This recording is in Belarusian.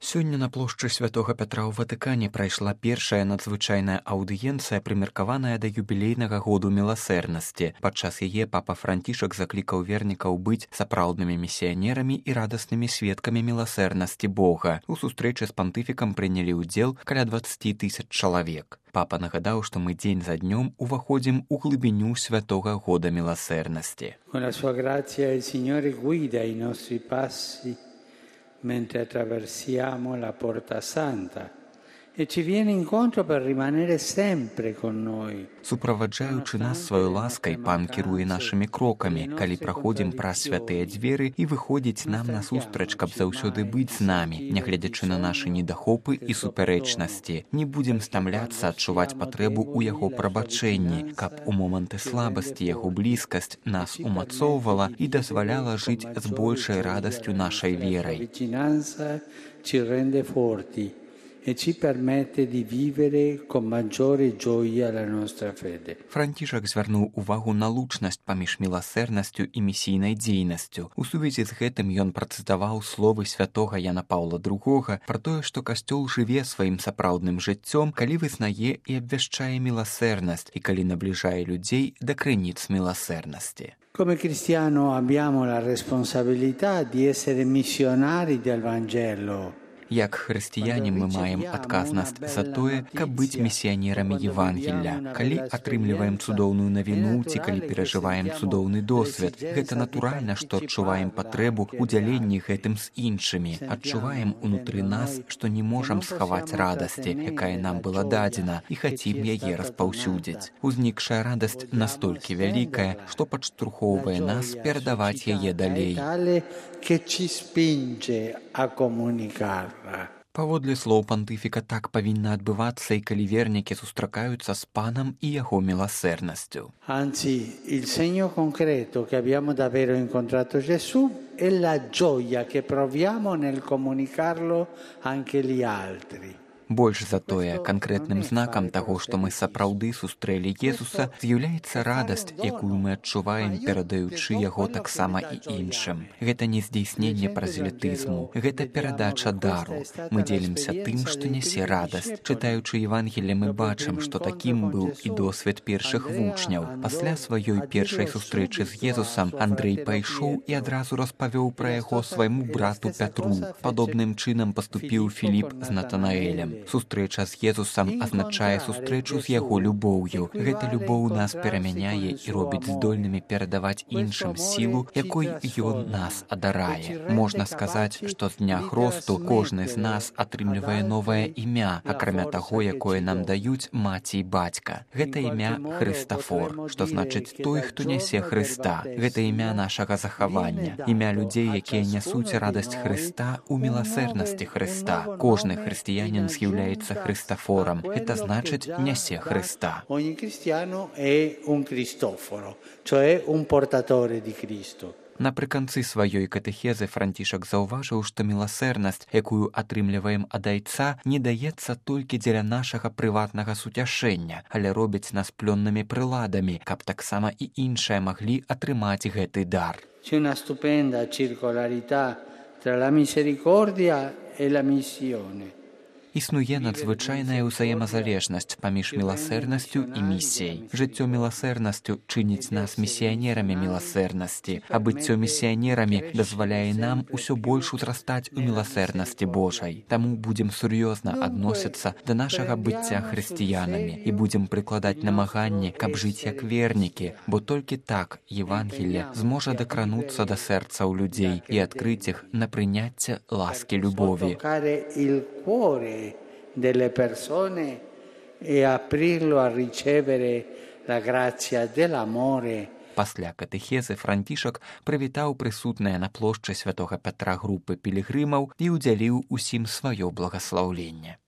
Сёння на плошчы святога Пятра ў Ватыкане прайшла першая надзвычайная аўдыенцыя, прымеркаваная да юбілейнага году міласэрнасці. Падчас яе папа Францішак заклікаў вернікаў быць сапраўднымі місіянерамі і радаснымі сведкамі міласэрнасці Бога. У сустрэчы з пантыфікам прынялі ўдзел каля 20 000 чалавек. Папа нагадаў, што мы дзень за днём уваходзім у глыбіню святога года міласэрнасці. Con la sua grazia il Signore guida i nostri passi mentre attraversiamo la Porta Santa e ci viene incontro per rimanere sempre con noi. Суправаджаючы нас сваёй ласкай, пан кіруе нашымі крокамі, калі праходзім праз святыя дзверы і выходзіць нам насустрач, каб заўсёды быць з намі, нягледзячы на нашы недахопы і супярэчнасці. Не будзем стамляцца адчуваць патрэбу ў яго прабачэнні, каб у моманты слабасці яго блізкасць нас умацоўвала і дазваляла жыць з большай радасцю нашай верай. Ci rende forti e ci permette di vivere con maggiore gioia la nostra fede. Францішак звярнуў увагу на лучнасць паміж міласэрнасцю і місійнай дзейнасцю. У сувязі з гэтым ён працытаваў словы святога Яна Паўла II пра тое, што касцёл жыве сваім сапраўдным жыццём, калі вызнае і абвяшчае міласэрнасць і калі набліжае людзей да крыніц міласэрнасці. Come cristiano abbiamo la responsabilità di essere missionari del Vangelo. Як хрысціяне мы маем адказнасць за тое, каб быць місіянерамі Евангелля. Калі атрымліваем цудоўную навіну ці калі перажываем цудоўны досвед, гэта натуральна, што адчуваем патрэбу ў дзяленні гэтым з іншымі. Адчуваем унутры нас, што не можам схаваць радасці, якая нам была дадзена, і хацім яе распаўсюдзіць. Узнікшая радасць настолькі вялікая, што падштурхоўвае нас перадаваць яе далей. Che ci spinge a comunicarla. Паводле слоў пантыфіка, так павінна адбывацца і калі вернікі сустракаюцца з панам і яго міласэрнасцю. Anzi, il segno concreto che abbiamo davvero incontrato Gesù è la gioia che proviamo nel comunicarlo anche agli altri. Больш за тое, канкрэтным знакам таго, што мы сапраўды сустрэлі Езуса, з'яўляецца радасць, якую мы адчуваем, перадаючы яго таксама і іншым. Гэта не здзейсненне празелітызму, гэта перадача дару. Мы дзелімся тым, што нясе радасць. Чытаючы Евангелле, мы бачым, што такім быў і досвед першых вучняў. Пасля сваёй першай сустрэчы з Езусам Андрэй пайшоў і адразу распавёў пра яго свайму брату Пятру. Падобным чынам паступіў Філіп з Натанаэлем. Сустрэча з Езусам азначае сустрэчу з яго любоўю. Гэта любоў нас перамяняе і робіць здольнымі перадаваць іншым сілу, якой ён нас адарае. Можна сказаць, што з дня хросту кожны з нас атрымлівае новае імя, акрамя таго, якое нам даюць маці і бацька. Гэта імя Хрыстафор, што значыць той, хто нясе Хрыста. Гэта імя нашага захавання, імя людзей, якія нясуць радасць Хрыста ў міласэрнасці Хрыста. Кожны хрысціянін з'яўляецца Хрыстафорам. Гэта значыць нясе Хрыста. Ogni cristiano è un Cristoforo, cioè un portatore di Cristo. Напрыканцы сваёй катэхезы Францішак заўважыў, што міласэрнасць, якую атрымліваем ад Айца, не даецца толькі дзеля нашага прыватнага суцяшэння, але робіць нас плённымі прыладамі, каб таксама і іншыя маглі атрымаць гэты дар. C'è una stupenda circolarità tra la misericordia e la missione. Існуе надзвычайная ўзаемазалежнасць паміж міласэрнасцю і місіяй. Жыццё міласэрнасцю чыніць нас місіянерамі міласэрнасці, а быццё місіянерамі дазваляе нам усё больш узрастаць у міласэрнасці Божай. Таму будзем сур'ёзна адносіцца да нашага быцця хрысціянамі і будзем прыкладаць намаганні, каб жыць як вернікі, бо толькі так Евангелле зможа дакрануцца да сэрцаў людзей і адкрыць іх на прыняцце ласкі любові. Delle persone e aprirlo a ricevere la grazia dell'amore. Пасля катэхезы Францішак прывітаў прысутныя на плошчы святога Пятра групы пілігрымаў і ўдзяліў усім сваё благаслаўленне.